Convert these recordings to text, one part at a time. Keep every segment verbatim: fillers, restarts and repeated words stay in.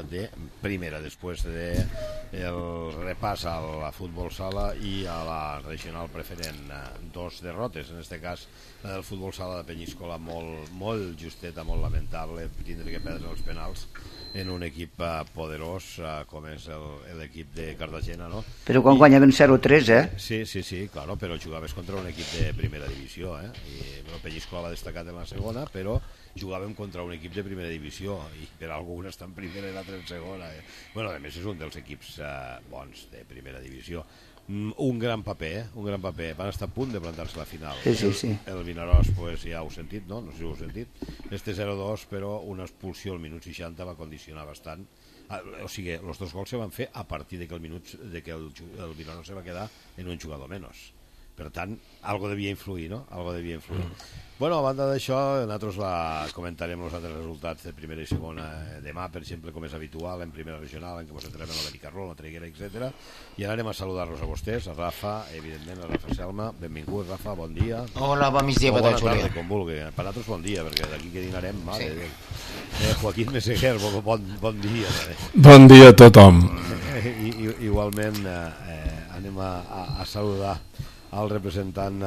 de primera, després de el repàs a la futbol sala i a la regional preferent. Dos derrotes, en aquest cas el futbol sala de Penyíscola molt, molt justeta, molt lamentable, tindre que perdre els penals en un equip poderós com és l'equip de Cartagena, no? Però quan guanyaven zero tres, eh? Sí, sí, sí, claro, però jugaves contra un equip de primera divisió, eh? I el Penyíscola va destacat en la segona, però jugàvem contra un equip de primera divisió i per algun està en primera i l'altre en segona. Eh? Bueno, a més és un dels equips eh, bons de primera divisió. Un gran paper, eh? Un gran paper. Van estar a punt de plantar-se a la final. Sí, sí, sí. El, el Vinaròs, pues, ja ho heu sentit, no? No sé si ho heu sentit. Este zero dos, però una expulsió al minut seixanta va condicionar bastant. Ah, o sigui, els dos gols se van fer a partir de que el, minut, de que el, el Vinaròs se va quedar en un jugador menys. Per tant, algo devia influir, no? Algo devia influir. Mm. Bueno, a banda d'això, nosaltres la comentarem els altres resultats de primera i segona demà, per exemple, com és habitual, en primera regional, en què ens entrem en la Benicarló, la Traiguera, etcètera. I ara anem a saludar-los a vostès, a Rafa, evidentment, a Rafa Selma. Benvingut, Rafa, bon dia. Hola, bon migdia, o bona tarda, com vulgui. Per nosaltres, bon dia, perquè d'aquí que dinarem, mare sí. eh, Joaquín Meseguer, bon, bon dia. També. Bon dia a tothom. I, i, igualment, eh, anem a, a, a saludar el representant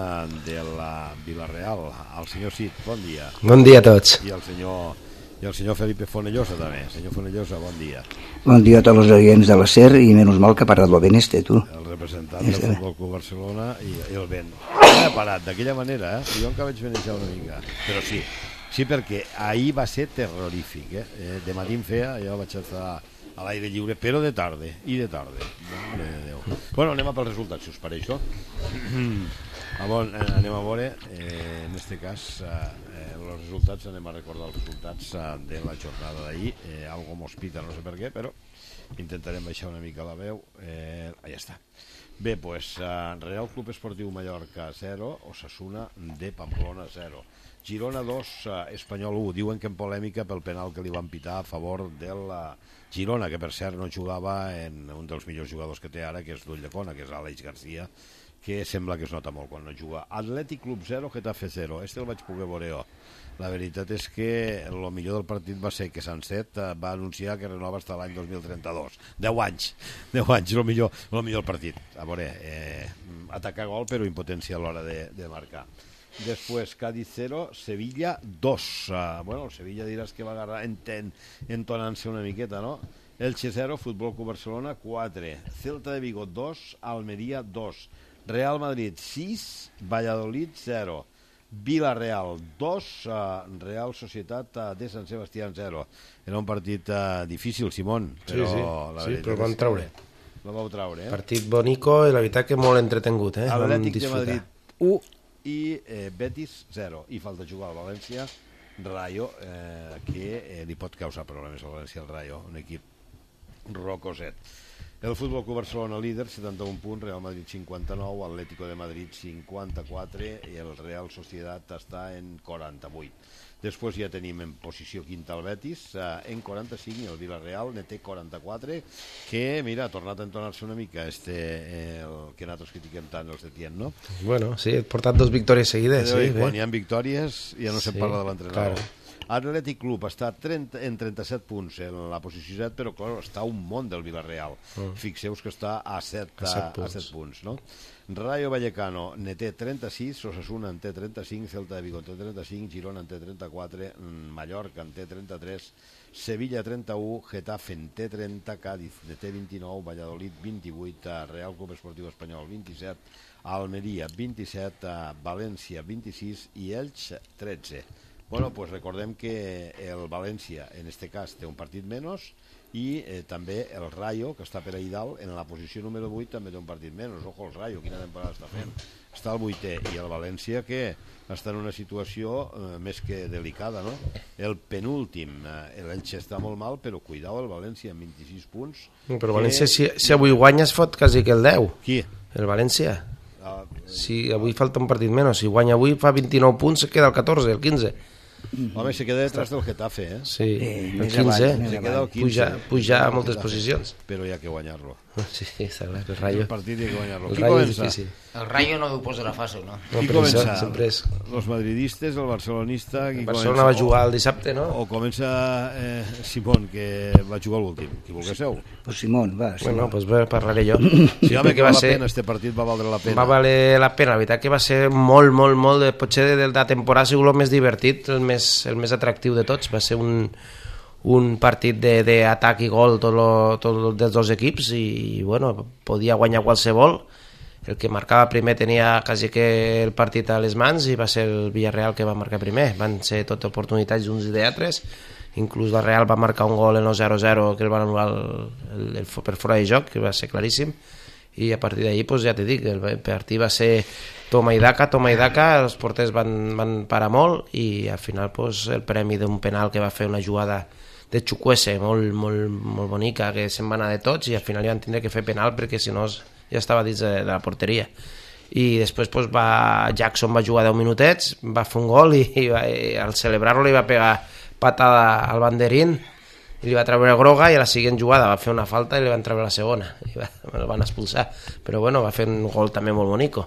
de la Vila-real, el senyor Cid, bon dia. Bon dia a tots. I el senyor, i el senyor Felipe Fonellosa també. Senyor Fonellosa, bon dia. Bon dia a tots els oients de la SER i menys mal que ha parat lo ben este, tu. El representant del Futbol Club Barcelona i, i el vent. Ha parat d'aquella manera, eh? Jo encara vaig venejar una mica. Però sí, sí perquè ahir va ser terrorífic, eh? eh de matí em feia, jo vaig estar a l'aire lliure, però de tarde, i de tarde. Mare de Déu. Bueno, anem a pels resultats, si us pareix, això. Anem a veure, eh, en aquest cas, eh, els resultats, anem a recordar els resultats eh, de la jornada d'ahir. Eh, algo m'hospita, no sé per què, però intentarem baixar una mica la veu. Eh, ah, ja està. Bé, doncs, pues, eh, Real Club Esportiu Mallorca zero, Osasuna de Pamplona zero. Girona dos, eh, Espanyol u. Diuen que en polèmica pel penal que li van pitar a favor de la Girona, que per cert no jugava en un dels millors jugadors que té ara, que és d'Ulldecona, que és Àlex García, que sembla que es nota molt quan no juga. Atlètic Club zero, Getafe zero. Este el vaig poder veure jo. La veritat és que el millor del partit va ser que Sanset va anunciar que renova fins l'any dos mil trenta-dos. deu anys. deu anys, el millor, el millor partit. A veure, eh, atacar gol, però impotència a l'hora de, de marcar. Després, Cádiz zero, Sevilla dos. Uh, bueno, el Sevilla diràs que va agarrar enten, entonant-se una miqueta, no? Elche zero, Futbol Club Barcelona quatre. Celta de Vigo dos, Almeria dos. Real Madrid sis, Valladolid zero. Vila-real dos, uh, Real Societat uh, de Sant Sebastián zero. Era un partit uh, difícil, Simón, però sí, sí, la sí, però van traure. La vau traure, eh? Partit bonico i la veritat que molt entretengut, eh? Atlètic de Madrid u i eh, Betis zero. I falta jugar al València Rayo, eh, que eh, li pot causar problemes al València al Rayo, un equip rocoset. El Futbol Club Barcelona líder, setanta-un punts, Real Madrid cinquanta-nou, Atlético de Madrid cinquanta-quatre i el Real Societat està en quaranta-vuit. Després ja tenim en posició quinta el Betis, eh, en quaranta-cinc, el Villarreal ne té quaranta-quatre, que, mira, ha tornat a entonar-se una mica este, eh, el que nosaltres critiquem tant, el Setién, no? Bueno, sí, he portat dos victòries seguides. Però, sí, quan bé. hi ha victòries ja no sí, se'n parla de l'entrenador. Claro. Atlètic Club està trenta, en trenta-set punts en la posició set, però clar, està un món del Villarreal. Mm. Fixeu-vos que està a set, a, a, a set punts, no? Rayo Vallecano ne té trenta-sis, Osasuna en té trenta-cinc, Celta de Vigo en té trenta-cinc, Girona en té trenta-quatre, Mallorca en té trenta-tres, Sevilla trenta-u, Getafe en té trenta, Cádiz ne té vint-i-nou, Valladolid vint-i-vuit, Real Club Esportiu Espanyol vint-i-set, Almeria vint-i-set, València vint-i-sis i Elx tretze. Bueno, pues recordem que el València, en este cas, té un partit menys i eh, també el Rayo, que està per ahí dalt, en la posició número vuit també té un partit menys. Ojo, el Rayo, quina temporada està fent. Està al vuitè, i el València, que està en una situació eh, més que delicada, no? El penúltim, eh, l'Elche està molt mal, però cuidao el València amb vint-i-sis punts. Però que... València, si, si avui guanya, es fot quasi que el deu. Qui? El València. Ah, eh... Si avui falta un partit menys, si guanya avui fa vint-i-nou punts, se queda el catorze, el quinze. Home, se queda detrás del Getafe, eh? Sí, eh, el quinze, se queda el quinze, puja, puja a moltes posicions. Però hi ha que guanyar-lo. Sí, està clar, el Rayo. El partit hi ha que guanyar-lo. El Qui Rayo comença? és difícil. El Rayo no ho posarà fàcil, no? Qui comença? Els madridistes, el barcelonista... El Barcelona va jugar el dissabte, no? O comença eh, Simón, que va jugar l'últim, qui volguéssiu. Pues Simón, va. Bueno, pues bé, parlaré jo. Sí, home, que va la pena, este partit va valdre la pena. Va valer la pena, la veritat que va ser molt, molt, molt, de, potser de la temporada ha sigut el més divertit, el més, el més atractiu de tots, va ser un, un partit d'atac i gol tot, lo, tot lo, dels dos equips i, bueno, podia guanyar qualsevol. El que marcava primer tenia quasi que el partit a les mans i va ser el Villarreal que va marcar primer. Van ser tot oportunitats d'uns i d'altres, inclús la Real va marcar un gol en el zero zero que el van anul·lar el, el, el, per fora de joc, que va ser claríssim, i a partir d'ahir pues, ja t'he dit, el partit va ser toma i daca, toma i daca, els porters van, van parar molt i al final pues, el premi d'un penal que va fer una jugada de Chukwueze molt, molt, molt bonica, que se'n va anar de tots i al final ja van tindre que fer penal perquè si no ja estava dins de, de la porteria. I després pues, va, Jackson va jugar deu minutets, va fer un gol i, i, va, i al celebrar-lo li va pegar patada al banderín i li va treure groga i a la següent jugada va fer una falta i li van treure la segona i va, el van expulsar, però bueno, va fer un gol també molt bonico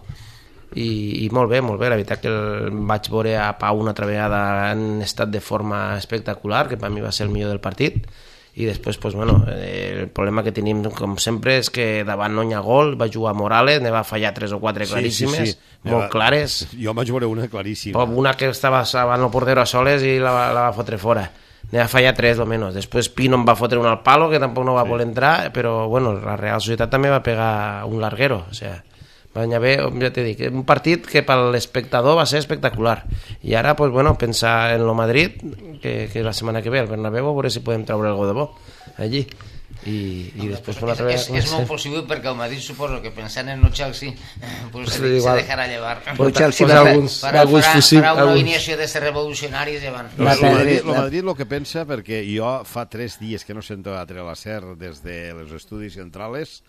i, i molt bé, molt bé, la veritat que el vaig veure a Pau una altra vegada en estat de forma espectacular, que per mi va ser el millor del partit. I després, pues, bueno, el problema que tenim, com sempre, és que davant no hi ha gol, va jugar Morales, ne va fallar tres o quatre claríssimes, sí, sí, sí. molt va, clares. Jo vaig veure una claríssima. Una que estava davant el portero a soles i la, la va fotre fora. Ne va fallar tres, o menys. Després Pino em va fotre un al palo, que tampoc no va sí. voler entrar, però, bueno, la Real Societat també va pegar un larguero, o sea... va anar bé, ja t'he dit, un partit que per l'espectador va ser espectacular i ara, pues, bueno, pensar en lo Madrid que, que la setmana que ve al Bernabéu a veure si podem treure algo de bo allí i, i després per una altra és, és molt possible perquè el Madrid suposo que pensant en el Chelsea pues se, se dejarà llevar el Chelsea farà, alguns, farà, alguns farà, fusil, farà una alguns... alineació de ser revolucionaris llevant el Madrid, el Madrid el que pensa, perquè jo fa tres dies que no sento a treure la S E R des de els estudis centrals,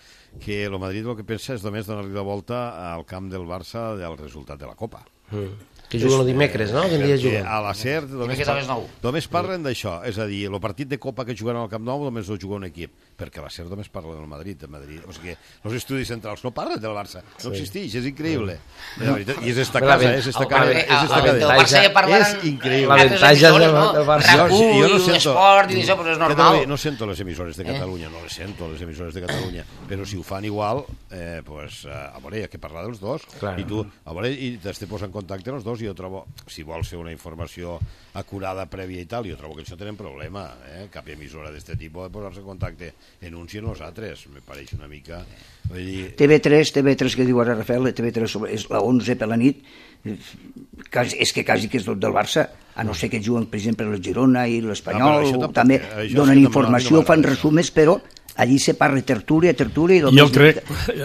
que el Madrid el que pensa és només donar-li la volta al camp del Barça del resultat de la Copa. Mm. Que juguen el dimecres, no? Quin dia juguen? A la S E R només, par només parlen d'això, és a dir, el partit de Copa que juguen al Camp Nou només ho juga un equip, perquè la S E R només parla del Madrid, de Madrid. O sigui, els estudis centrals no parlen del Barça, no sí. existeix, és increïble. No. I és esta casa, és esta cadena. És esta cadena. És increïble. L'avantatge del Barça. Racull, Esport i això, però és normal. No sento les emissores de Catalunya, no les sento, les emissores de Catalunya, però si ho fan igual, eh, pues, a veure, hi ha que parlar dels dos, i tu, a veure, i t'has de posar en contacte els dos, i jo trobo, si vols fer una informació acurada, prèvia i tal, jo trobo que això tenen problema, eh? Cap emissora d'aquest tipus de posar-se en contacte en uns i en els altres, me pareix una mica... Vull dir... T V tres, T V tres que diu ara Rafael, T V tres és la onze per la nit, quasi, és que quasi que és tot del Barça, a no ser que juguen, per exemple, el Girona i l'Espanyol, no, també donen informació, fan resumers, però allí se parla tertúlia, tertúlia... I jo crec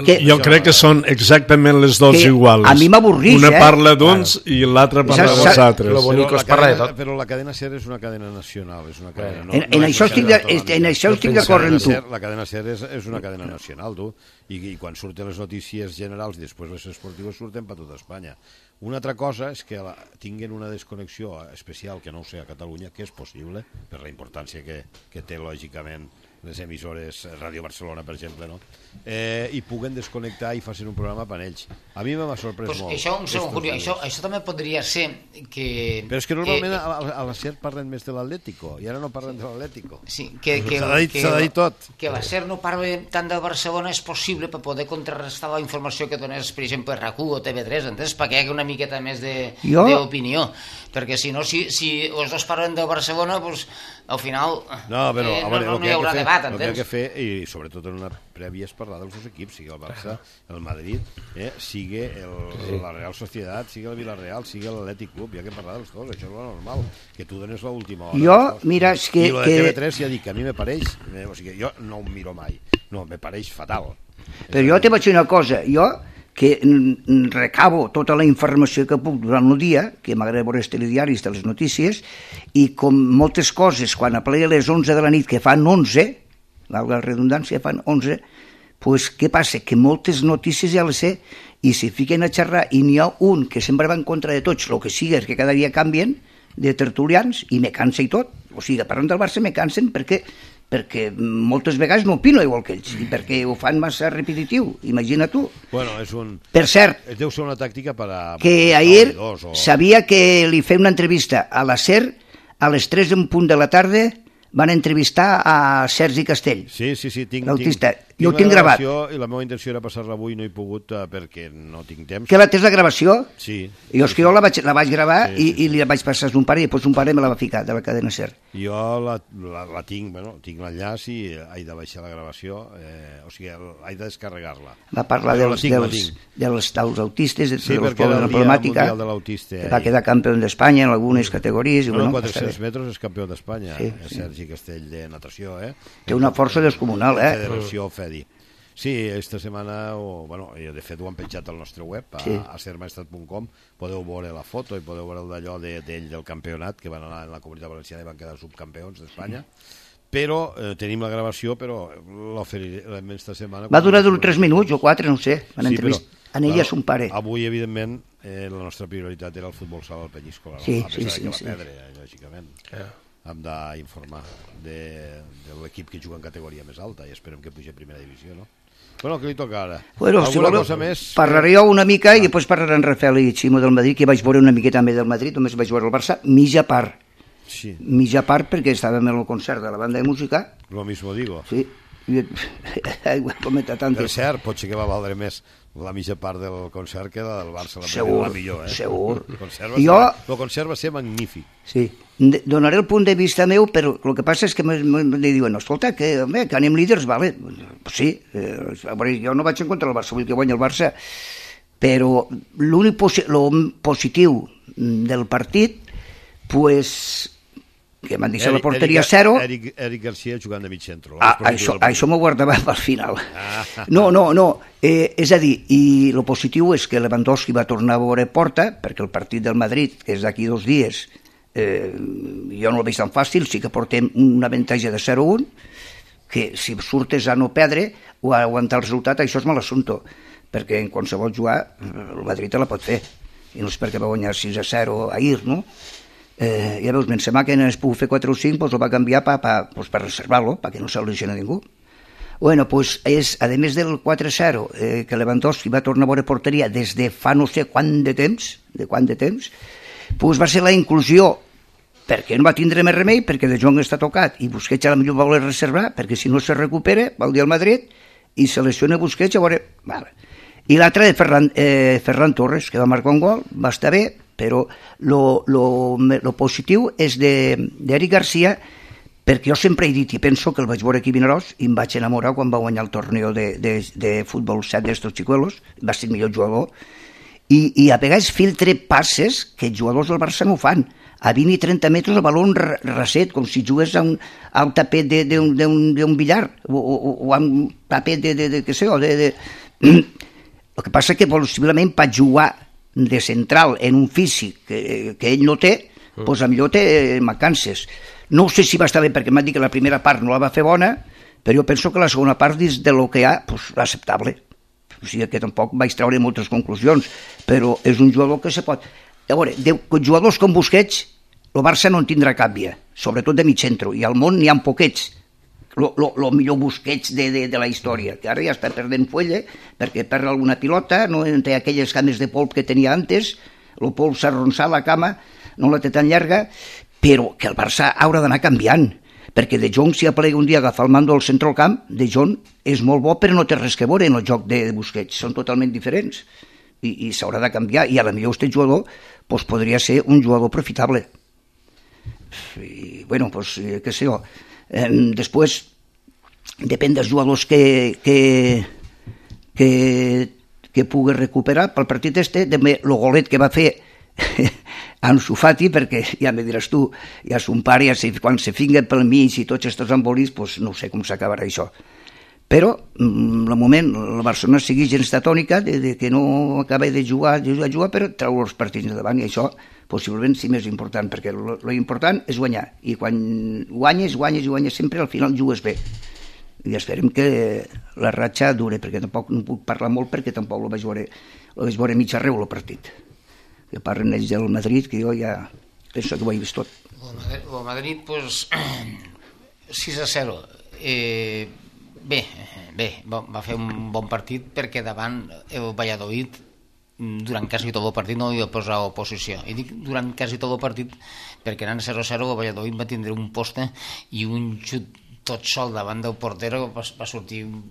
que, jo crec que són exactament les dues iguals. A mi m'avorreix, una eh? parla d'uns i l'altra parla dels altres. Lo bonic es parla de tot. Però la cadena SER és una cadena nacional, és una cadena... No, en, en, no això en això estic d'acord amb tu. La cadena SER és, és una cadena nacional, tu, i, i quan surten les notícies generals i després les esportives surten per tota Espanya. Una altra cosa és que la, tinguin una desconnexió especial, que no ho sé, a Catalunya, que és possible, per la importància que, que té, lògicament, les emissores, Ràdio Barcelona, per exemple, no? Eh, i puguen desconnectar i facin un programa per ells. A mi m'ha sorprès pues molt. Això, un segon, Julio, això, això també podria ser que... Però és que normalment que, a, a la S E R parlen més de l'Atlético, i ara no parlen de l'Atlético. Sí, que, que, s'ha de, que, de dir tot. Que la S E R no parli tant del Barcelona és possible per poder contrarrestar la informació que donés, per exemple, R A C U o T V tres, entens? Perquè hi hagi una miqueta més d'opinió. Perquè si no, si, si els dos parlen del Barcelona, doncs, al final no, però, eh, a veure, no, no hi haurà fer, debat, entens? El que hi ha que fer, i sobretot en una prèvia, és parlar dels dos equips, sigui el Barça, el Madrid, eh, sigui el, la Real Societat, sigui el Villarreal, sigui l'Atlètic Club, hi ha que parlar dels dos, això és lo normal, que tu dones l'última hora. Jo, mira, és que... I el de T V tres ja dic, a mi me pareix, eh, o sigui, jo no ho miro mai, no, me pareix fatal. Però jo te vaig dir una cosa, jo que recabo tota la informació que puc durant el dia, que m'agrada veure els telediaris de les notícies, i com moltes coses, quan aplega a les onze de la nit, que fan onze, valga la redundància, fan onze, pues, què passa? Que moltes notícies ja les sé, i si fiquen a xerrar, i n'hi ha un que sempre va en contra de tots, el que sigui és que cada dia canvien de tertulians, i me cansa i tot. O sigui, parlant del Barça me cansen perquè perquè moltes vegades no opino igual que ells, i perquè ho fan massa repetitiu, imagina tu. Bueno, és un... Per cert, deu ser una tàctica per a... que ahir o... sabia que li feia una entrevista a la SER a les tres en punt de la tarda. Van entrevistar a Sergi Castell. Sí, sí, sí, tinc, l'autista. tinc, jo ho tinc gravat. I la meva intenció era passar-la avui, no he pogut uh, perquè no tinc temps. Que la tens la gravació? Sí. Jo és sí, que jo la vaig, la vaig gravar sí, sí, i, i li vaig passar a un pare i després un pare me la va ficar de la cadena SER. Jo la, la, la tinc, bueno, tinc l'enllaç i he de baixar la gravació, eh, o sigui, he de descarregar-la. Va parlar Però dels, tinc, dels, dels, dels autistes, de, sí, dels pobres de la problemàtica, de l'autista, va quedar campió d'Espanya en algunes categories. I, bueno, bueno, quatre-cents metres és campió d'Espanya, sí, sí. Sí. Sergi Castell de natació, eh? Té una força descomunal, eh? Federació FEDI. Sí, esta setmana, o, bueno, de fet ho han penjat al nostre web, a, sí. a sermaestat punt com, podeu veure la foto i podeu veure d'allò d'ell de, del campionat, que van anar en la Comunitat Valenciana i van quedar subcampions d'Espanya. Sí. Però eh, tenim la gravació, però l'oferirem esta setmana. Va durar tres minuts o quatre, no sé, van sí, entrevist... en ella és un pare. Avui, evidentment, eh, la nostra prioritat era el futbol sala al Penyíscola, sí, a pesar sí, sí, que va sí, perdre, sí. lògicament. Yeah. Hem d'informar de, de l'equip que juga en categoria més alta i esperem que pugi a primera divisió, no? Bueno, què li toca ara? Bueno, alguna si voleu, cosa més? Parlaré jo una mica ah. i després parlaré en Rafael i Ximo del Madrid, que vaig veure una miqueta també del Madrid, només vaig veure el Barça, mitja part. Sí. Mitja part perquè estàvem en el concert de la banda de música. Lo mismo digo. Sí. I ho he comentat antes. Per cert, potser que va valdre més la mitja part del concert que la del Barça, la, segur, la millor, eh? Segur, el concert va jo... ser, el concert va ser magnífic. Sí, donaré el punt de vista meu, però el que passa és que me diuen, escolta, que, home, que anem líders, vale? Sí, eh, jo no vaig en contra del Barça, vull que guanyi el Barça, però l'únic posi positiu del partit, pues... que m'han deixat la porteria a zero. Eric, Eric Garcia jugant de mig centre. Ah, això això m'ho guardava pel final. Ah. No, no, no. Eh, és a dir, i el positiu és que Lewandowski va tornar a veure porta, perquè el partit del Madrid, que és d'aquí dos dies, eh, jo no el veig tan fàcil, sí que portem un avantatge de zero a un, que si surtes a no perdre o a aguantar el resultat, això és mal assumpte, perquè en qualsevol jugar el Madrid te la pot fer. I no és perquè va guanyar sis a zero ahir, no? Eh, ja veus, Benzema que no es pugui fer quatre o cinc, pues, el va canviar per pa, pues, pa reservar-lo, perquè no se lesiona ningú. Bueno, pues és, a més del quatre a zero, eh, que Lewandowski va tornar a veure porteria des de fa no sé quant de temps, de quant de temps, pues va ser la inclusió, perquè no va tindre més remei, perquè De Jong està tocat, i Busquets a la millor va voler reservar, perquè si no se recupera, va al dia al Madrid, i se lesiona Busquets, a veure... Vale. I l'altre de Ferran, eh, Ferran Torres, que va marcar un gol, va estar bé, però lo, lo, lo positiu és d'Eric Garcia, perquè jo sempre he dit, i penso que el vaig veure aquí a Vinaròs, i em vaig enamorar quan va guanyar el torneo de, de, de futbol set d'estos xicuelos, va ser el millor jugador, i, i a vegades filtre passes que els jugadors del Barça no fan, a vint i trenta metres el baló reset, com si jugués a un, a un tapet d'un billar, o, o, o a un tapet de, de, de, què sé jo, de... de... El que passa que possiblement per jugar de central en un físic que, que ell no té, mm. doncs millor té mancances. No sé si va estar bé perquè m'han dit que la primera part no la va fer bona, però jo penso que la segona part dins de lo que hi ha, doncs acceptable. O sigui que tampoc vaig treure moltes conclusions, però és un jugador que se pot... A veure, de jugadors com Busquets, el Barça no en tindrà cap via, sobretot de mig centre, i al món n'hi ha poquets. El millor Busquets de, de, de la història, que ara ja està perdent fuelle perquè perd alguna pilota, no té aquelles cames de polp que tenia antes, el polp s'ha arronsat la cama, no la té tan llarga, però que el Barça haurà d'anar canviant, perquè De Jong, si aplega un dia a agafar el mando al centre del camp, De Jong és molt bo però no té res que veure en el joc de Busquets, són totalment diferents, i, i s'haurà de canviar, i a la millor este jugador pues, podria ser un jugador profitable. I, bueno, pues, què sé jo, Eh, després depèn dels jugadors que que, que, que pugui recuperar pel partit este, també el golet que va fer Ansu Fati, perquè ja me diràs tu, ja son pare, ja se, quan se finga pel mig i tots aquests embolis, pues no sé com s'acabarà això. Però, el moment, el Barcelona sigui gens de tònica, de, de que no acaba de jugar, de jugar, jugar, però treu els partits de davant, i això possiblement sí més important, perquè lo important és guanyar, i quan guanyes, guanyes i guanyes sempre, al final jugues bé. I esperem que la ratxa dure, perquè tampoc no puc parlar molt, perquè tampoc lo vaig veure, lo vaig veure mig arreu, el partit. Que parlen ells del Madrid, que jo ja penso que ho he vist tot. El Madrid, pues, sis a zero. Eh, bé, bé, va fer un bon partit perquè davant el Valladolid durant quasi tot el partit no hi va posar oposició. I dic durant quasi tot el partit perquè anant zero a zero el Valladolid va tindre un poste i un xut tot sol davant del portero va, va sortir un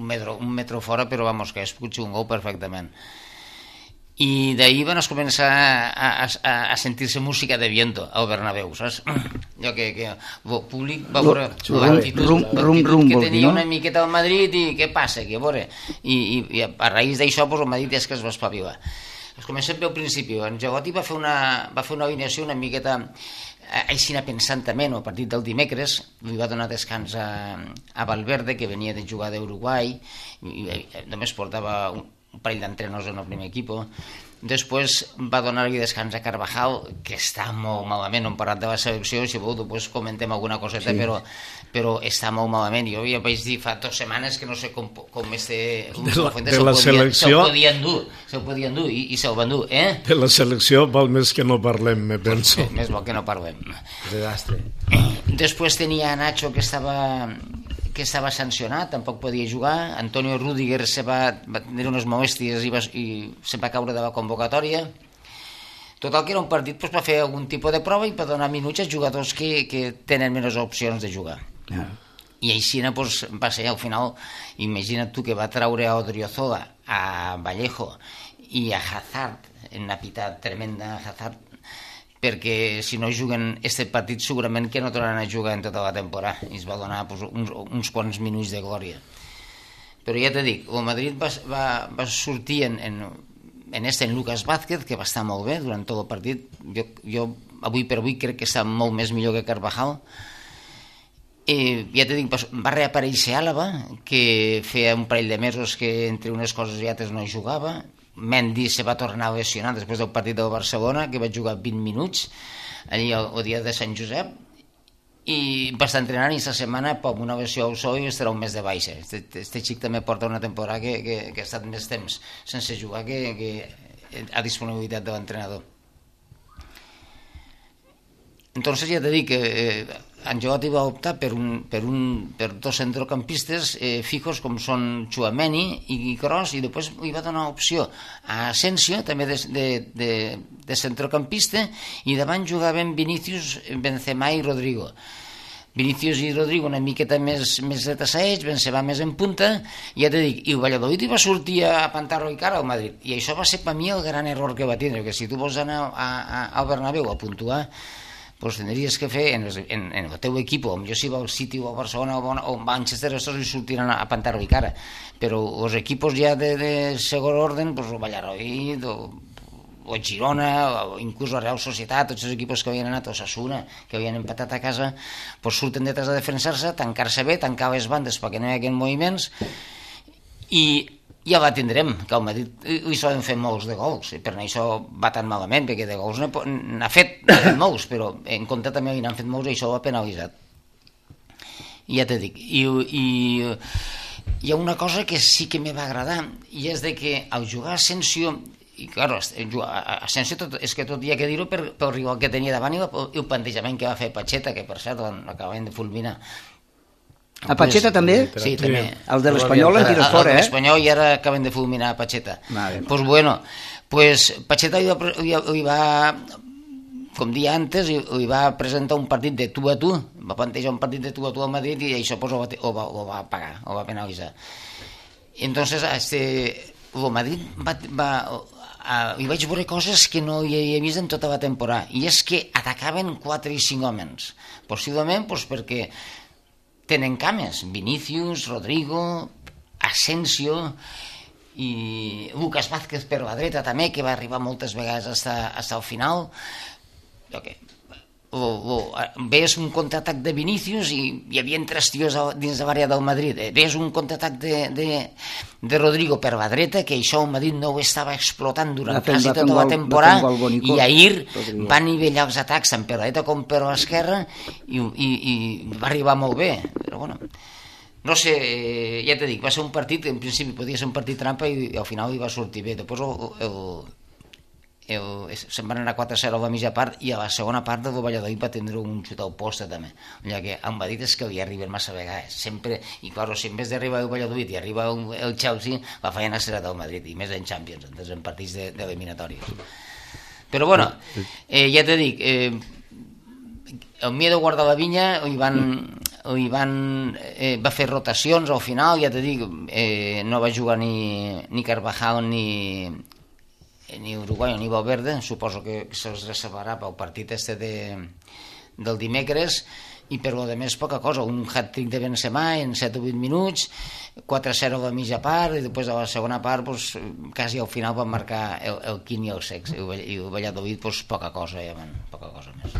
metro, un metro fora, però vamos, que és potser un gol perfectament. I d'ahir van començar a, a, a sentir-se música de viento al Bernabéu, saps? Allò que, que el públic va veure l'actitud que tenia una miqueta al Madrid i què passa, que a veure, i, i, i a raïs d'això pues, el Madrid és que es va espavilar. Es comença bé al principi, en Jagoti va fer una, va fer una alineació una miqueta així pensantament, al partit del dimecres li va donar descans a, a Valverde, que venia de jugar d'Uruguai i, i només portava un un parell d'entrenadors en el primer equip. Després va donar-li descans a Carvajal, que està molt malament, hem parlat de la selecció, si voleu després comentem alguna coseta, sí. però, però està molt malament. Jo ja vaig dir fa dues setmanes que no sé com, com este de la, de la selecció se'l podia endur, se'l podia endur i, i se'l va endur, eh? De la selecció val més que no parlem, me penso. Pues, més val que no parlem. Desastre. Després tenia Nacho, que estava que estava sancionat, tampoc podia jugar. Antonio Rüdiger se va, va tenir unes molèsties i, va, i se va caure de la convocatòria. Total, que era un partit pues, per fer algun tipus de prova i per donar minuts als jugadors que, que tenen menys opcions de jugar. Ah. I així pues, va ser, al final, imagina't tu que va traure a Odriozola, a Vallejo i a Hazard, en una pita tremenda a Hazard, perquè si no juguen este partit segurament que no tornaran a jugar en tota la temporada i es va donar pues, uns, uns quants minuts de glòria. Però ja t'he dit, el Madrid va, va, va sortir en, en, en este en Lucas Vázquez, que va estar molt bé durant tot el partit. Jo, jo avui per avui crec que està molt més millor que Carvajal. Eh, ja t'he dit, va reaparèixer Àlava, que feia un parell de mesos que entre unes coses i altres no hi jugava. Mendy se va tornar a lesionar després del partit del Barcelona, que va jugar vint minuts allí el, el dia de Sant Josep, i va estar entrenant i aquesta setmana amb una lesió al sol i estarà un mes de baixa. Este, este xic també porta una temporada que, que, que ha estat més temps sense jugar que, que a disponibilitat de l'entrenador. Entonces ja t'he dit que eh, Ancelotti va optar per, un, per, un, per dos centrocampistes eh, fijos com són Tchouaméni i Kroos, i després li va donar opció a Asensio també de, de, de, de centrocampista, i davant jugaven Vinícius, Benzema i Rodrigo. Vinícius i Rodrigo una miqueta més, més retassaets, Benzema més en punta, i ja t'he dit, i el Valladolid hi va sortir a pantar-lo i cara al Madrid, i això va ser per mi el gran error que va tindre, que si tu vols anar a, a, al Bernabéu a puntuar, pues tindries que fer en, en, en el teu equip, o jo si va al City o a Barcelona o a Manchester, estos hi sortiran a, a pantar-ho i cara, però els equipos ja de, de segon orden, pues el Valladolid o, o Girona o inclús la Real Societat, tots els equipos que havien anat, o Osasuna, que havien empatat a casa, pues surten detrás a defensar-se, tancar-se bé, tancar les bandes perquè no hi hagi moviments, i ja la tindrem, que al Madrid hi solen fer molts de gols, i per això va tan malament, perquè de gols n'ha fet, fet molts, però en compte també n'han fet molts i això ho ha penalitzat. I ja t'he dit, i, i hi ha una cosa que sí que me va agradar, i és de que al jugar Asensio, i clar, Asensio tot, és que tot hi ha que dir-ho per, pel rival que tenia davant i el plantejament que va fer Pacheta, que per cert l'acaben de fulminar. A Pacheta també? Sí, també. El de l'Espanyol l'han tirat fora, eh? El de l'Espanyol i ara acaben de fulminar a Pacheta. Vale. Pues bueno, pues Pacheta li va, li va, com dia antes, li va presentar un partit de tu a tu, va plantejar un partit de tu a tu al Madrid i això pues, ho, va, ho, va, ho va pagar, ho va penalitzar. Entonces, este, el Madrid va... va Uh, hi vaig veure coses que no hi havia vist en tota la temporada, i és que atacaven quatre i cinc homes, possiblement pues, perquè tenen cames, Vinícius, Rodrigo, Asensio i Lucas Vázquez per la dreta també, que va arribar moltes vegades fins al final. Okay. O, o, ves un contraatac de Vinícius i hi havia tres tios dins de l'àrea del Madrid, ves un contraatac de, de, de Rodrigo per la dreta, que això el Madrid no ho estava explotant durant quasi tota la temporada, i ahir va nivellar els atacs tant per la dreta com per l'esquerra i, i, i va arribar molt bé, però bueno, no sé, ja t'he dit, va ser un partit, en principi podia ser un partit trampa i al final hi va sortir bé. Després el, el el, se'n van anar quatre a zero a la mitja part i a la segona part el Valladolid va tindre un xut al poste també, ja que em va dir és que li arriben massa vegades sempre, i clar, si en vez d'arribar el Valladolid i arriba el Chelsea, la feina serà del Madrid, i més en Champions, en partits d'eliminatòries. Però bueno, eh, ja te dic, eh, el Miedo guarda la vinya, hi van, hi van, eh, va fer rotacions al final, ja te dic, eh, no va jugar ni, ni Carvajal ni, ni Uruguai ni Valverde, suposo que se'ls reservarà pel partit este de, del dimecres, i per lo de més poca cosa, un hat-trick de Benzema en set o vuit minuts, quatre a zero a la mitja part, i després a la segona part pues, quasi al final van marcar el, el Quim i el Sex, i el Valladolid pues, poca cosa, ja van, poca cosa més.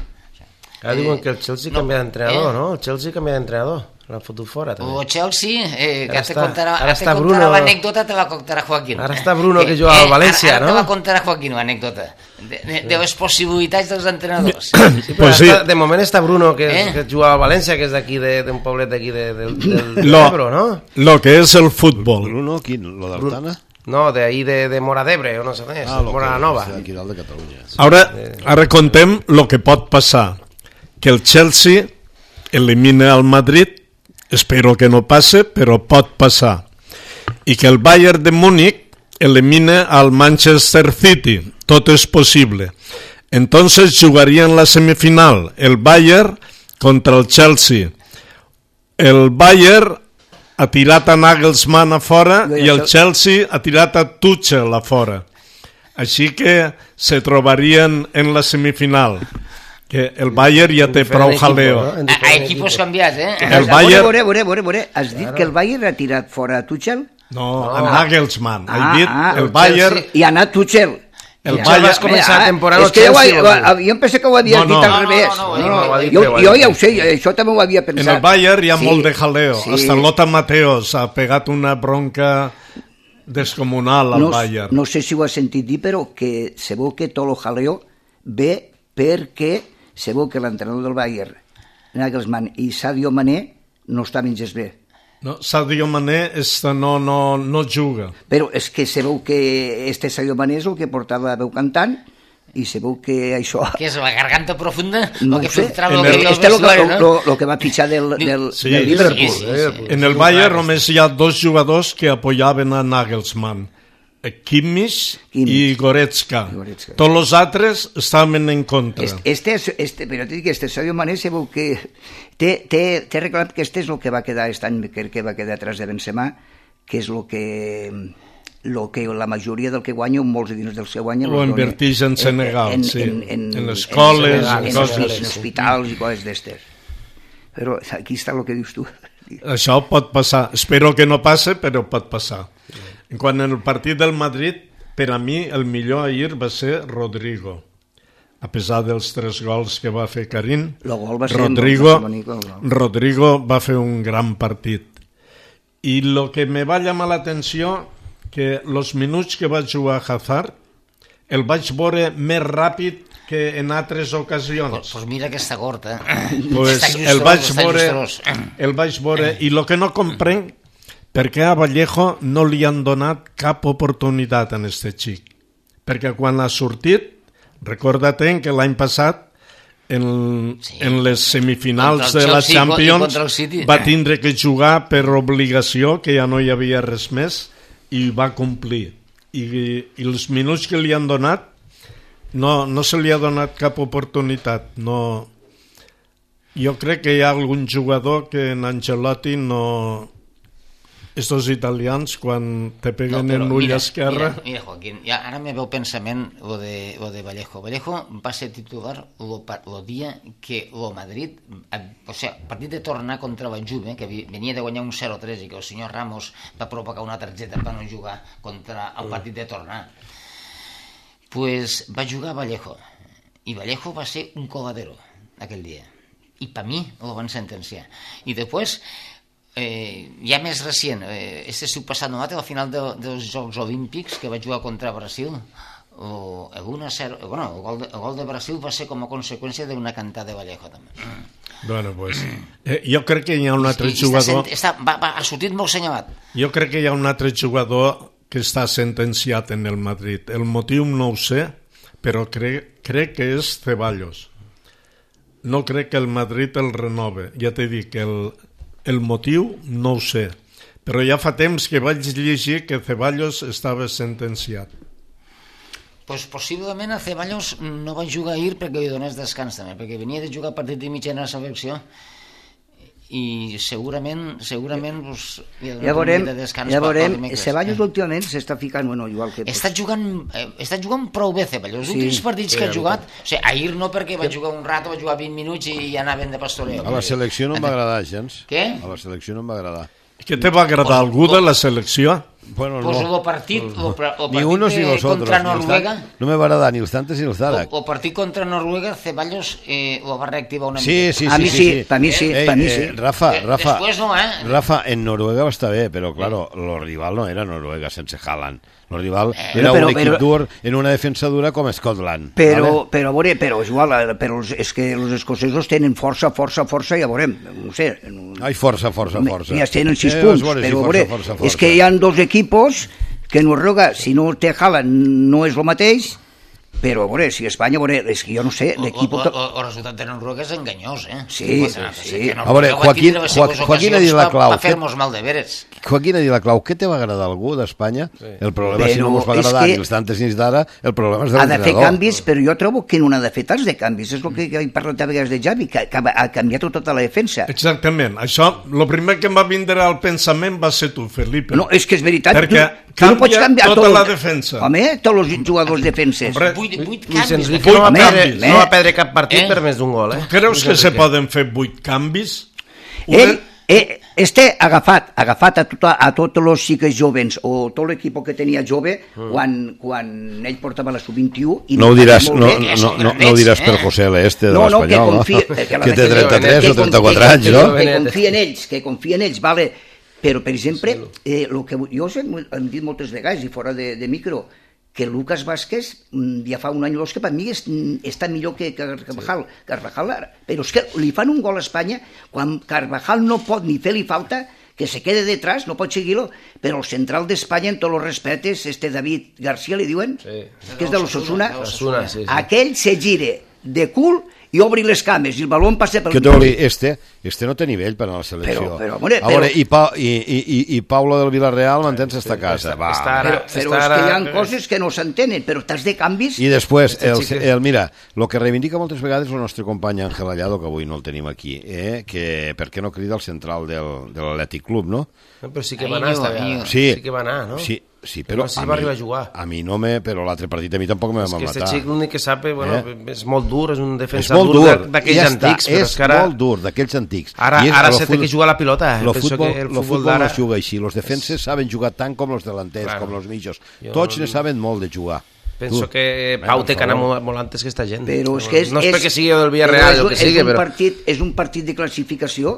Ara eh, diuen que el Chelsea no, canvia d'entrenador, eh? no? El Chelsea canvia d'entrenador, l'ha fotut fora també. O Chelsea, eh, que te contarà, ara te contarà l'anècdota, te la contarà Joaquín. Ara està Bruno, que juga al València, ara, ara no? Ara te la contarà Joaquín, l'anècdota, de, de, de les possibilitats dels entrenadors. Sí, pues sí. Està, de moment està Bruno, que, eh? que juga al València, que és d'aquí, d'un poblet d'aquí de, de, del, del Ebro, no? Lo que és el futbol. Bruno, quin? Lo d'Artana? No, de ahí de, de Mora d'Ebre, o no sé més, ah, Mora Nova. Aquí dalt de Catalunya. Ara, ara contem lo que pot passar. Que el Chelsea elimina al Madrid, espero que no passe, però pot passar. I que el Bayern de Múnich elimina al Manchester City, tot és possible. Entonces jugarían la semifinal el Bayern contra el Chelsea. El Bayern ha tirat a Nagelsmann a fora i el Chelsea ha tirat a Tuchel a fora. Així que se trobarien en la semifinal. Que el Bayern ja té prou jaleo. A, a equipos canviats, eh? El Bayern... Vore, vore, vore, vore. Has dit que el Bayern ha tirat fora a Tuchel? No, a Nagelsmann. Ah, He dit ah, el Bayern... I ha anat Tuchel. El Bayern vas començar a temporada al Chelsea. Jo, jo em pensé que ho havies no, no. dit al revés. No, no, no, no, no, jo, jo ja ho sé, això també ho havia pensat. En el Bayern hi ha sí, molt de jaleo. sí. Hasta Lothar Matthäus ha pegat una bronca descomunal al no, Bayern. No sé si ho has sentit dir, però que se veu que tot el jaleo ve perquè se veu que l'entrenador del Bayern, Nagelsmann i Sadio Mané no estaven gens bé. No, Sadio Mané esta no, no, no juga. Però és que se veu que este Sadio Mané és el que portava veu cantant i se veu que això... Què és, la garganta profunda? No o que sé, filtrava el, el, el, este és el, no? lo, lo que va pitjar del, del, sí, del Liverpool. Sí, sí, sí, sí. En el Bayern només hi ha dos jugadors que apoyaven a Nagelsmann. Kimmich i Goretzka. Goretzka. Tots els altres estaven en contra. Este, este, este, però t'he dit que este Sadio Mané se veu que té, té, té reclamat que este és el que va quedar aquest any, que, que va quedar atrás de Benzema, que és el que, lo que la majoria del que guanya, molts diners del seu guanya... Ho inverteix en Senegal, en, sí. En, en, en escoles, en, en, en, coses. en, en hospitals i coses d'estes. Però aquí està el que dius tu. Això pot passar. Espero que no passe, però pot passar. En quant al partit del Madrid, per a mi el millor ahir va ser Rodrigo. A pesar dels tres gols que va fer Karim, va ser Rodrigo, Rodrigo va fer un gran partit. I el que me va llamar l'atenció, que els minuts que va jugar Hazard, el vaig veure més ràpid que en altres ocasions. Pues, pues mira que està gort, eh? Pues està el vaig veure, el vaig veure, i el que no comprenc, perquè a Vallejo no li han donat cap oportunitat a este xic. Perquè quan ha sortit, recorda't que l'any passat, en, sí. en les semifinals de la Champions, va tindre que jugar per obligació, que ja no hi havia res més, i va complir. I, i els minuts que li han donat, no, no se li ha donat cap oportunitat. No. Jo crec que hi ha algun jugador que en Ancelotti no... Estos italians, quan te peguen no, en l'ull esquerra... Mira, mira, Joaquín, ja, ara me veu pensament lo de, lo de Vallejo. Vallejo va ser titular el dia que el Madrid, o sigui, el partit de tornar contra la Juve, que venia de guanyar un zero tres i que el senyor Ramos va provocar una targeta per no jugar contra el partit de tornar, pues va jugar Vallejo. I Vallejo va ser un coladero aquell dia. I per mi el van sentenciar. I després... Eh, ja més recient, eh, este seu passat no, a la final de, dels Jocs Olímpics que va jugar contra Brasil, o, el, uno a cero, bueno, el, gol de, el gol de Brasil va ser com a conseqüència d'una cantada de Vallejo també. Bueno, pues, eh, jo crec que hi ha un altre I, jugador... Està, està, va, va, ha sortit molt senyalat. Jo crec que hi ha un altre jugador que està sentenciat en el Madrid. El motiu no ho sé, però crec, crec que és Ceballos. No crec que el Madrid el renove. Ja t'he dit que el, el motiu no ho sé, però ja fa temps que vaig llegir que Ceballos estava sentenciat. Pues possiblement a Ceballos no va jugar ahir perquè li donés descans també, perquè venia de jugar partit de mitja en la selecció i segurament segurament pues, ja veurem, de descans ja veurem Ceballos últimament s'està ficant bueno, igual que... Està jugant, eh, està jugant prou bé Ceballos, els sí, últims partits que ha jugat o sigui, ahir no perquè va jugar un rato va jugar vint minuts i ja anaven de pastoreo. A la selecció no em va agradar gens. Què? A la selecció no em va agradar. Què te va agradar algú de la selecció? Bueno, pues no. el partit, el, el ni unos partit ni los otros, contra Noruega no me va agradar ni els tantes ni els d'ara. El, el partit contra Noruega Ceballos eh, ho va reactivar una sí, mica. Sí, sí, a mi sí, sí, sí. per mi sí, eh, per mi eh, sí. Rafa, Rafa, Después no, eh? Rafa, en Noruega va estar bé, però claro, el rival no era Noruega sense Haaland. El rival eh, era però, un equip però, dur en una defensa dura com Scotland. Però, vale? però, veure, però, igual, però és que els escocesos tenen força, força, força, ja veurem, no sé. Ai, força, força, força. Ja tenen sis eh, punts, veure, però, sí, veure, força, força, és que hi ha dos equipos que Noruega, si no té Haaland, no és el mateix, però a veure, si Espanya, a veure, és que jo no sé, l'equip... El, el, el resultat de Noruega és enganyós, eh? Sí, sí. sí. A veure, Joaquín, Joaquín ha dit la clau. Va fer-nos mal de veres. Joaquín ha dit la clau. Què te va agradar algú d'Espanya? Sí. El problema, però si no ens va agradar ni els tantes ni els d'ara, el problema és de l'entrenador. Ha de fer canvis, però jo trobo que no ha de fer tants de canvis. És el que he parlat a vegades de Javi, que ha canviat tota la defensa. Exactament. Això, el primer que em va vindre al pensament va ser tu, Felipe. No, és que és veritat. Perquè tu, tu no pots canviar tota tot, la defensa. Home, tots els jugadors defenses. Hombre, vuit, vuit canvis. Que no va, perdre, no va perdre cap partit eh? per més d'un gol. Eh? Creus que se poden fer vuit canvis? Ell, eh, este agafat, agafat a, tota, a tots els xiques jovens o tot l'equip que tenia jove mm. quan, quan ell portava la sub vint-i-u i no ho diràs, no, bé, no, no, no ho diràs per José L. este de no, no, l'Espanyol, que, confia, no? que, que té trenta-tres o trenta-quatre anys, no? Que confia en ells, que confia en ells, vale. Però, per exemple, eh, lo que jo hem dit moltes vegades i fora de, de micro, que Lucas Vázquez ja fa un any o dos que per mi és, està millor que Carvajal, sí. Carvajal ara. Però és que li fan un gol a Espanya quan Carvajal no pot ni fer-li falta, que se quede detrás, no pot seguir-lo, però el central d'Espanya, en tots els respetes, este David García, li diuen, sí. que és de l'Osasuna, sí, sí. Aquell se gire de cul i obri les cames i el baló passa pel... Que te dir, este, este no té nivell per a la selecció. Però, però, more, a veure, però... i, pa, i, i, i Paula del Villarreal mantens esta casa. Va. Està ara, però però és que hi ha coses que no s'entenen, però t'has de canvis... I després, el, el, mira, el que reivindica moltes vegades el nostre company Ángel Allado, que avui no el tenim aquí, eh, que per què no crida al central del, de l'Atlètic Club, no? No, però sí que va anar esta vegada. Sí, sí que va anar, no? Sí, sí, però no sé si a, va mi, arribar a jugar. A mi no me... Però l'altre partit a mi tampoc me va matar. És que aquest xic l'únic que sap, bueno, eh? és molt dur, és un defensa és dur, dur d'aquells ja antics. Està, però és, és que ara... molt dur d'aquells antics. Ara, ara se té que jugar a la pilota. El futbol, que el futbol, futbol futbol no es juga així. Els defenses saben jugar tant com els delanters, claro. com els mitjos. Tots no... ne saben molt de jugar. Penso tu. que Pau té que anar molt, molt antes que esta gent. Però és que és, no és, és perquè sigui del Villarreal o que sigui, és un però... Partit, és un partit de classificació.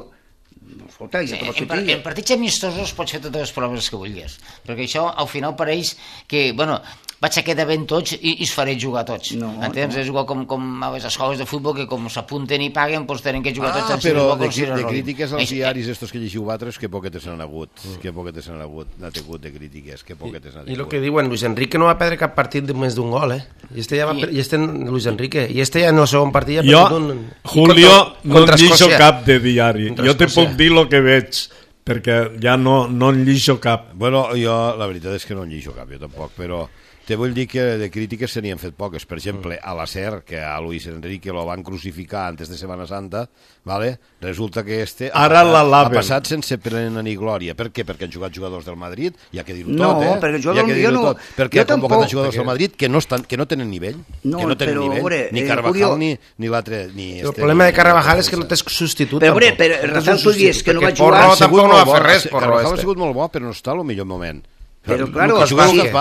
Escolta, ja en, en, en partits amistosos pots fer totes les proves que vulguis, perquè això al final pareix que, bueno, vaig a quedar ben tots i, i es faré jugar tots. No, entens? No. És igual com, com a les escoles de futbol que com s'apunten i paguen, doncs tenen que jugar ah, tots. Però de, de, de crítiques als diaris estos que llegiu vosaltres, que poquetes n'han hagut, mm. que poquetes n'han hagut, n'ha tingut de crítiques, que poquetes n'ha tingut. I el que diuen, Luis Enrique no va perdre cap partit de més d'un gol, eh? I este ja va, I, i este, Luis Enrique, i este ja en el segon partit ja jo, un, Julio, contra, contra no llixo cap de diari. Jo te puc dir el que veig, perquè ja no, no en llixo cap. Bueno, jo la veritat és que no en llixo cap, jo tampoc, però te vull dir que de crítiques se n'hi han fet poques. Per exemple, a la SER, que a Luis Enrique lo van crucificar antes de Semana Santa, ¿vale? Resulta que este Ara ha, la ha passat sense plena ni glòria. Per què? Perquè han jugat jugadors del Madrid, ja que dir-ho no, tot, eh? perquè jo, ja que jo no, tot. Perquè han convocat tampoc, jugadors perquè... del Madrid que no, estan, que no tenen nivell, no, que no tenen però, nivell, veure, ni Carvajal eh, ni, ni l'altre... Ni el este, problema de Carvajal és que no tens substitut. Però, veure, però Rafael, tu dius que no va jugar... Porro tampoc no va fer res, Porro. Carvajal ha sigut molt bo, però no està al millor moment. Però, claro, si,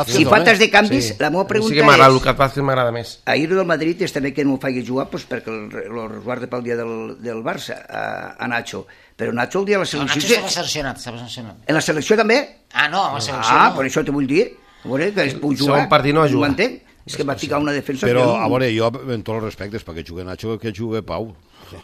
si faltes de canvis, sí. La meva pregunta sí que és... Lucas Vázquez m'agrada més. Ahir del Madrid és també que no ho faci jugar pues, perquè el, el resguarda pel dia del, del Barça, a, a Nacho. Però Nacho el dia de la selecció... No, Nacho estava sancionat, estava sancionat. En la selecció també? Ah, no, en la selecció ah, no. Per això te vull dir. A veure, que es puc jugar. Segon partit no va jugar. Ho entenc? És que va ficar una defensa... Però, que... a veure, jo, en tots els respectes, perquè jugue Nacho, que jugue Pau.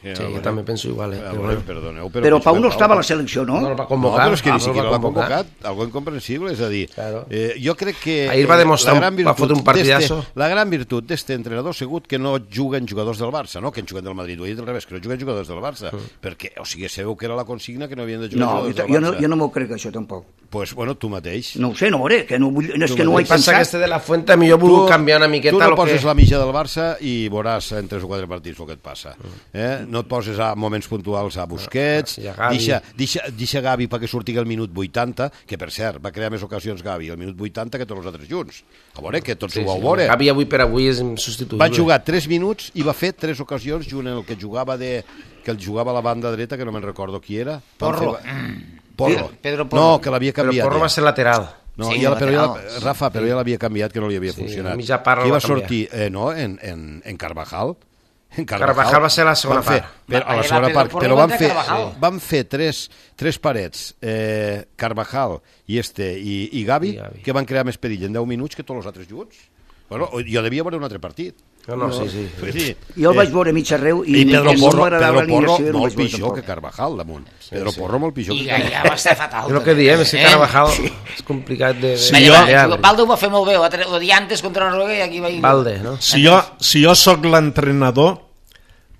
Sí, jo també penso igual, eh? Però, bueno, perdoneu, però, però Pau no estava a la selecció, no? No el va convocar. No, però és que ni no siquiera l'ha convocat. convocat, algo incomprensible, és a dir, Claro. eh, jo crec que... Ahir va demostrar, la gran va fotre un partidazo. d'este- La gran virtut d'este entrenador ha sigut que no juguen jugadors del Barça, no? Que han jugat del Madrid, ho he dit al revés, que no juguen jugadors del Barça, mm. perquè, o sigui, sabeu que era la consigna que no havien de jugar No, jugadors del jo no, Barça. jo no m'ho crec, això, tampoc. Pues, bueno, tu mateix. No ho sé, no ho veuré, que no, vull, és Tu que no ho he El que passa que pensat. este de la Fuente a mi jo vull canviar una miqueta tu no lo poses que... la mitja del Barça i veuràs en tres o quatre partits el que et passa. Eh? No et poses a moments puntuals a Busquets, I a Gavi. deixa, deixa, deixa Gavi perquè surti el minut vuitanta, que per cert va crear més ocasions Gavi el minut vuitanta que tots els altres junts. A veure, que tots Sí, ho vau sí, veure. Gavi avui per avui és substituïble. Va jugar tres minuts i va fer tres ocasions junt en el que jugava de que el jugava a la banda dreta, que no me'n recordo qui era. Porro. Porro. Pedro Porro. No, que l'havia Però canviat. Porro ja. va ser lateral. No, Sí, ja, però ja, lateral. Rafa, però ja l'havia canviat, que no li havia Sí, funcionat. mitja part Qui el va va canviar. sortir? Eh, no, en, en, en Carvajal. En Carvajal va ser la segona van fer, part. Per, a la Va segona Pedro part, Porro però va van entrar fer, Carvajal. van fer tres, tres parets, eh, Carvajal i, este, i, i, Gavi, I Gavi. que van crear més perill en deu minuts que tots els altres junts. Bueno, jo devia veure un altre partit. No, no, sí, sí. Vull dir, Jo el eh, vaig veure mig arreu i, I Pedro no Porro, m'agradava Pedro Porro l'alineació, no molt vaig veure pitjor tampoc. que Carvajal damunt. Pedro Porro molt pitjor I que ja, ja va estar fatal. És el que diem, és que Eh? Carvajal és complicat de... Sí, de jo- treballar. Valde ho va fer molt bé, va tre- odiar antes contra Noruega i aquí va ir... Valde, no? Si jo, si jo sóc l'entrenador,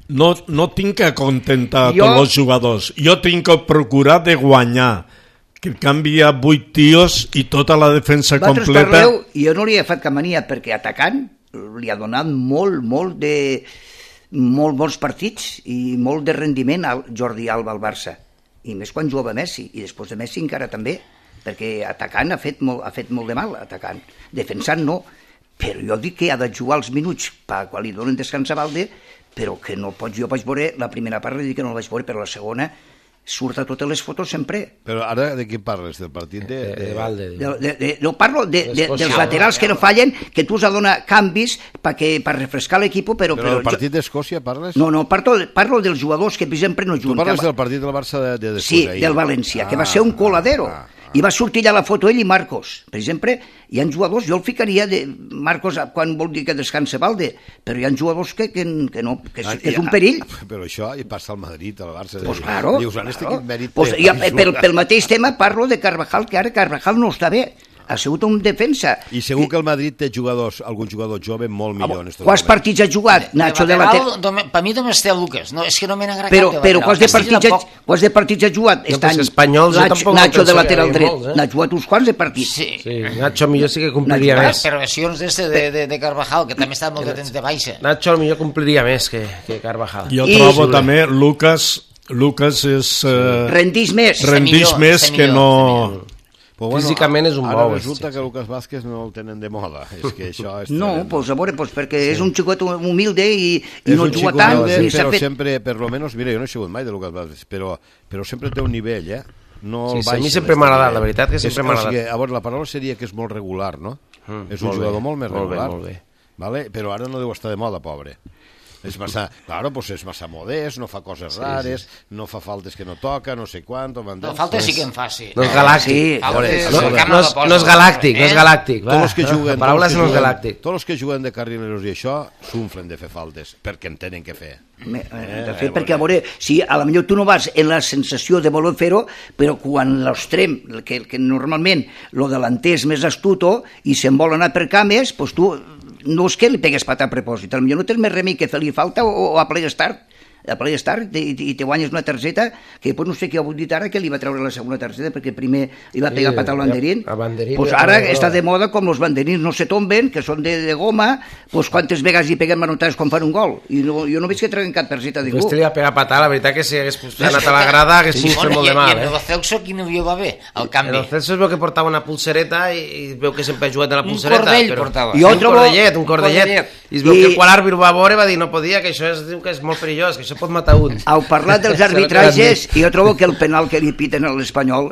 no, no tinc que contentar Jo- tots els jugadors. Jo tinc que procurar de guanyar. Que canvia vuit tios i tota la defensa Vosaltres completa... parleu, i jo no li he fet cap mania, perquè atacant li ha donat molt, molt de molt bons partits i molt de rendiment al Jordi Alba al Barça, i més quan jugava Messi, i després de Messi encara també, perquè atacant ha fet molt, ha fet molt de mal, atacant, defensant no, però jo dic que ha de jugar els minuts per quan li donen descans a Valde, però que no pot, jo vaig veure la primera part, dic que no la vaig veure, però la segona surt a totes les fotos sempre. Però ara de què parles? Del partit de... De, de Valde. De, de, de, no parlo de, de, D'Escòcia. dels laterals que no fallen, que tu has de donar canvis per per refrescar l'equip, però... Però però del partit d'Escòcia parles? jo, no, no, parlo, parlo dels jugadors que sempre no Tu juguen. parles del partit del Barça de, de després Sí, d'ahir. del València, que va Ah, ser un coladero. ah, I va sortir allà la foto ell i Marcos. Per exemple, hi ha jugadors, jo el ficaria de Marcos quan vol dir que descansa Valde, però hi ha jugadors que, que, que no, que és, Ah, que és i- un perill. Però això hi passa al Madrid, al Barça. Pues claro, Dius, ara este claro. quin mèrit Pues, té? ja, pel, pel mateix tema parlo de Carvajal, que ara Carvajal no està bé. Ha sigut un defensa. I segur que el Madrid té jugadors, algun jugador jove molt millor en estos Quants moments. partits ha jugat Nacho de lateral? Per mi només té el Lucas, no, és que no me n'agrada Però, cap de però lateral. quants de, Castilla partits ha, tampoc. quants de partits ha jugat? No, Este pues any? espanyols jo Nacho, tampoc no Nacho de penso que lateral hi dret. molts, eh? N'ha jugat uns quants de partits. Sí. Sí, Nacho millor sí que compliria Nacho, més. Per versions d'este de, de, de Carvajal, que també està molt de temps de baixa. Nacho millor compliria més que, que Carvajal. Jo I- trobo també Lucas, Lucas és... Eh, Rendís més. rendix millor, més està que millor, no... Però Físicament és un ara bou, resulta sí, que Lucas Vázquez no el tenen de moda. És que això és No, tremendo. pues a veure, pues perquè és un xicot humilde i, i És no un juga xico tant, humilde, ni s'ha però fet... sempre, per lo menos, mira, jo no he sigut mai de Lucas Vázquez, però, però sempre té un nivell, eh? No Sí, el sí, a mi baixa sempre d'este m'ha agradat, nivell. la veritat que sempre És- m'ha o sigui, agradat. a veure, la paraula seria que és molt regular, no? Mm, és un molt jugador bé, molt més molt bé, regular. molt bé. Vale? Però ara no deu estar de moda, pobre. És massa, claro, pues és massa modest, no fa coses rares, no fa faltes que no toca, no sé quant, No, falta sí que en fa, sí. No és galàctic. Sí, Falta veure, és- no- el No, camp no, és, la posa, no és galàctic, no és eh? galàctic. Tots els que va. juguen, La paraula tots és els no que és juguen- galàctic. Tots els que juguen de carrileros i això s'unflen de fer faltes, perquè en tenen que fer. Me- Eh, de fet, eh, perquè a veure, si a la millor tu no vas en la sensació de voler fer-ho, però quan l'extrem, que, que normalment lo delanter és més astuto i se'n vol anar per cames, doncs tu no és que li pegues pata a propòsit, potser no tens més remei que fer-li falta o, o a play start, a play start i, i te guanyes una targeta que després no sé què ha dit ara que li va treure la segona targeta perquè primer li va pegar Sí, pata al banderín, a banderín pues li va ara treure està groga. de moda com els banderins no se tomben, que són de, de goma, pues quantes vegades hi peguem manotades quan fan un gol i no, jo no veig que treuen cap targeta de ningú. Este li va pegar patada, la veritat que si hagués anat a la grada hagués Sí, fet bueno, molt i, de mal, I eh? en el Celso quin avió va bé? El En canvi. el Celso es veu que portava una pulsereta i, i es veu que sempre ha jugat a la Un pulsereta. cordell però... portava. I Jo un trobo- cordellet, un cordellet. cordellet. I es veu I- que quan l'àrbit va veure va dir no podia, que això es diu que és molt perillós, que això pot matar un. Au parlar dels arbitratges, jo trobo que el penal que li piten a l'Espanyol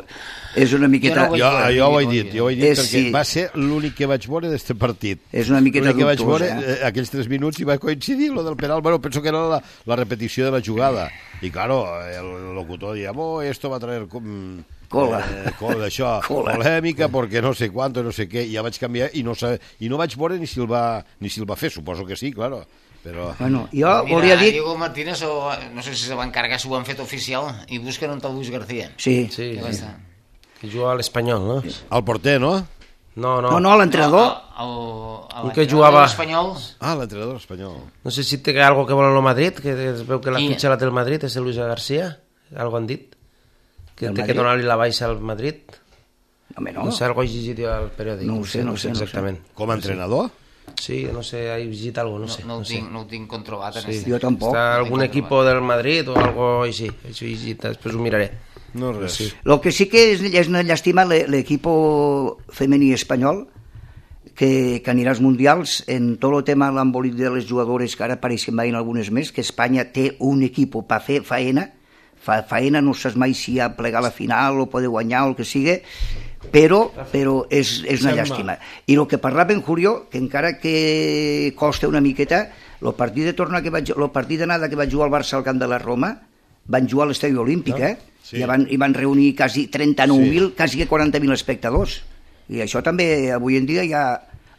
és una miqueta... Jo no Jo, vull- jo ho he dit, jo ho he dit És, perquè sí. va ser l'únic que vaig veure d'este partit. És una miqueta L'únic que vaig dubtós, veure, eh? eh, aquells tres minuts i va coincidir lo del penal. Bueno, penso que era la, la repetició de la jugada. I claro, el locutor dia, oh, esto va a traer... mm, Cola. Eh, cola, això, Cola. polèmica, perquè no sé quant, no sé què, i ja vaig canviar i no, sa- i no vaig veure ni si el va, ni si el va fer, suposo que sí, claro. però... Bueno, jo Mira, volia dir... Diego Martínez, o, no sé si se va encarregar, si ho han fet oficial, i busquen un tal Luis García. Sí. Sí, Que va sí. estar. Que juga a l'Espanyol, no? El porter, no? No, no. No, no, l'entrenador... El, el, Un que jugava- l'Espanyol. Ah, l'entrenador espanyol. No sé si té algo que vol en el Madrid, que es veu que la I- fitxa la té el Madrid, és el Luis García, algo han dit. Que Del té que Madrid? donar-li la baixa al Madrid. Home, no. No sé, algo he llegit jo al periòdic. No ho sé, no ho sé, no ho sé. exactament. Com a entrenador? Sí, no sé, he llegit algo, no No, sé. no, ho no sé. tinc, no ho tinc controlat. En Sí. este. Jo tampoc. Està algun No tinc equipo controlat. del Madrid o algo així. Això he llegit, després ho miraré. No, res. Sí. Lo que sí que és, és una llàstima l'equip femení espanyol que, que anirà als mundials en tot el tema de l'embolit de les jugadores, que ara apareixen veient algunes més, que Espanya té un equip per fer faena, fa faena, no saps mai si ha plegat la final o poder guanyar o el que sigui, però, però és, és una llàstima. I el que parlava en Julio, que encara que costa una miqueta, el partit de tornar que vaig, el partit d'anada que vaig jugar al Barça al camp de la Roma, van jugar a l'estadi olímpic, eh? Sí. I, van, i van reunir quasi trenta-nou mil, sí. quasi quaranta mil espectadors. I això també, avui en dia, ja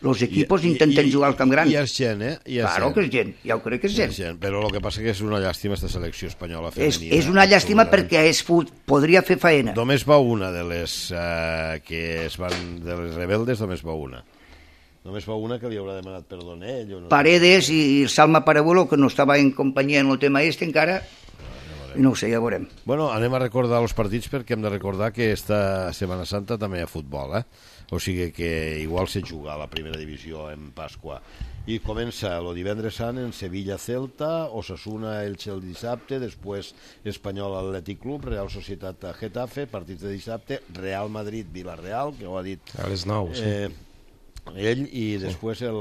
els equipos I, intenten i, jugar al Camp Gran. I és gent, eh? I és Claro gent. que és gent, ja ho crec que és gent. És gent. Però el que passa que és una llàstima aquesta selecció espanyola És, femenina. és una llàstima absolutament. perquè es fut, podria fer faena. Només va una de les eh, que es van, de les rebeldes, només va una. Només va una que li haurà demanat perdó a ell. O no Paredes i Salma Parabuelo, que no estava en companyia en el tema este encara, i no ho sé, ja veurem. Bueno, anem a recordar els partits perquè hem de recordar que esta Setmana Santa també hi ha futbol, eh? O sigui que igual se juga a la primera divisió en Pasqua. I comença el divendres sant en Sevilla-Celta, Osasuna Elche el dissabte, després Espanyol Atlètic Club, Real Societat Getafe, partits de dissabte, Real Madrid-Vilareal, que ho ha dit A les nou, sí. eh, ell, i després el,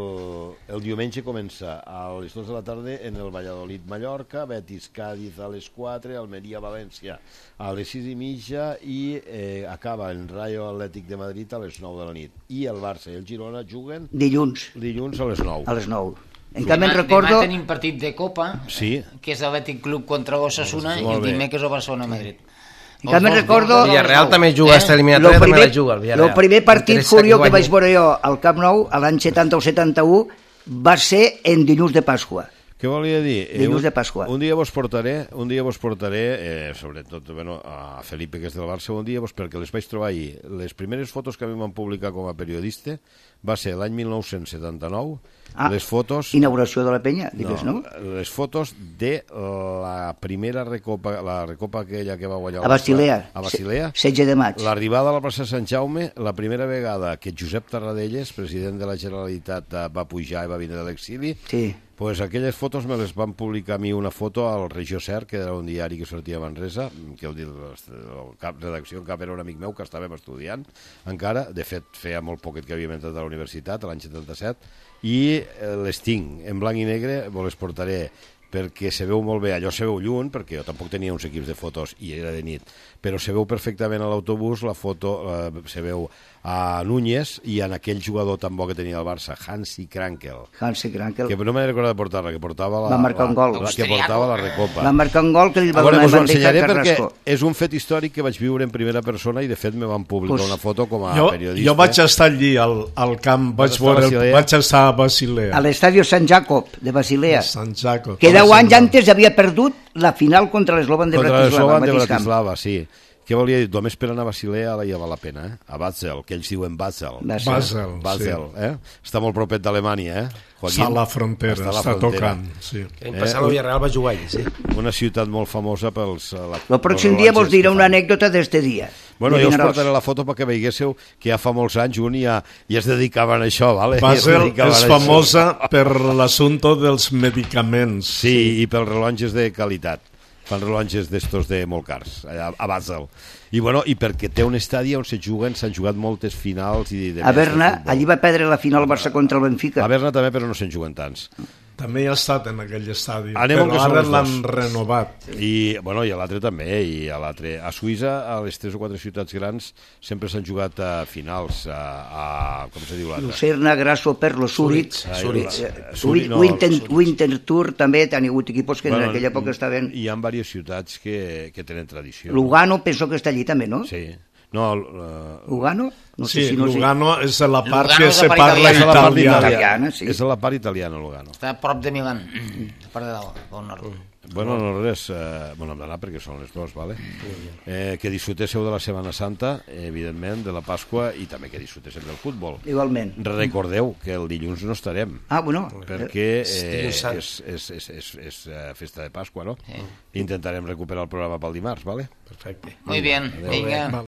el diumenge comença a les dues de la tarda en el Valladolid-Mallorca, Betis-Cádiz a les quatre, Almeria-València a les sis i mitja i eh, acaba en Rayo Atlètic de Madrid a les nou de la nit. I el Barça i el Girona juguen Dilluns, dilluns a les nou. a les nou. En canvi, Demà, recordo... demà tenim partit de Copa, Sí. que és l'Atlètic Club contra l'Osasuna, i Molt el bé. dimecres el Barcelona-Madrid. En canvi, recordo... Villarreal també juga Eh? esta Lo eliminatòria, també primer, la juga el lo Villarreal. primer partit Interessa Julio que guanyi. vaig veure jo al Camp Nou, a l'any setanta o setanta-u, va ser en dilluns de Pasqua. Què volia dir? Dilluns un, de Pasqua. Un dia vos portaré, un dia vos portaré, eh, sobretot bueno, a Felipe, que és del Barça, un dia vos, perquè les vaig trobar ahir. Les primeres fotos que a mi van publicar com a periodista va ser l'any mil nou-cents setanta-nou, Ah, les fotos... Inauguració de la penya, digues, no? no? Les fotos de la primera recopa, la recopa aquella que va guanyar... A Basilea. A Basilea. Se- setze de maig. L'arribada a la plaça Sant Jaume, la primera vegada que Josep Tarradellas, president de la Generalitat, eh, va pujar i va vindre de l'exili, Sí. pues aquelles fotos me les van publicar a mi una foto al Regió Ser, que era un diari que sortia a Manresa, que el, el cap redacció en cap era un amic meu que estàvem estudiant encara, de fet feia molt poquet que havíem entrat a la universitat, l'any setanta-set, i eh, les tinc en blanc i negre, vos les portaré perquè se veu molt bé, allò se veu lluny, perquè jo tampoc tenia uns equips de fotos i era de nit, però se veu perfectament a l'autobús, la foto eh, se veu a Núñez i en aquell jugador tan bo que tenia el Barça, Hansi Krankel, Hansi Krankel. que no m'he recordat de portar-la, que portava la, Va marcar un gol. la, que portava la recopa. Va marcar un gol que li va A veure, donar us ho bandeja ensenyaré a perquè Carrasco. és un fet històric que vaig viure en primera persona i de fet me van publicar Pues, una foto com a Jo, periodista. jo vaig estar allí al, al camp, vaig, estar a veure, el, Basilea? vaig estar a Basilea, A l'estadi Sant Jacob de Basilea, Sant Jaco. que deu anys antes havia perdut la final contra l'Eslovan de Contra Bratislava, l'Eslovan al de mateix camp. Bratislava, sí. Què volia dir? Només per anar a Basilea ja val la pena, eh? A Basel, que ells diuen Basel. Basel. Basel, Basel, sí. eh? Està molt propet d'Alemanya, eh? Està a la frontera, Està a la està frontera. tocant. Sí. L'any passat el Villarreal va jugar allà, sí. Una ciutat molt famosa pels... eh, La, El pròxim pels dia vos rellotges diré que una fan. anècdota d'este dia. Bueno, de jo us Vinaròs. portaré la foto perquè veiéssiu que ja fa molts anys un ja, ja es dedicaven a això, vale? Ja es Basel dedicaven és a això. famosa per l'assumpte dels medicaments. Sí, i pels rellotges de qualitat. Fan rellotges d'estos de molt cars, allà a Basel. I, bueno, i perquè té un estadi on se juguen, s'han jugat moltes finals i de A més de Berna, futbol. allí va perdre la final Barça contra el Benfica. A Berna també, però no se'n juguen tants. També hi ha estat en aquell estadi, Anem amb que però són ara els l'han dos. renovat. I, bueno, i a l'altre també, i a l'altre. A Suïssa, a les tres o quatre ciutats grans, sempre s'han jugat a finals, a, a com se diu l'altre? Lucerna, Grasso, Perlo, Zurich, Ah, Zurich. eh, Zurich, no, Winter, Zurich. Winter Tour també han hagut equipos que en aquella època estaven... Hi ha diverses ciutats que, que tenen tradició. Lugano penso que està allí també, no? Sí. No, uh... Lugano? No sí, sé si no Lugano és la part Lugano que és la se part parla italiana. italiana. italiana, sí. És a la part italiana, Lugano. Està a prop de Milan, a part de dalt, al nord. Bueno, no res, eh, bueno, hem d'anar perquè són les dues, vale? Eh, que disfrutéssiu de la Setmana Santa, evidentment, de la Pasqua, i també que disfrutéssiu del futbol. Igualment. Recordeu que el dilluns no estarem, Ah, bueno. perquè eh, Dilluns Sant. és, és, és, és, és eh, festa de Pasqua, no? Intentarem recuperar el programa pel dimarts, vale? Perfecte. Muy bien, venga.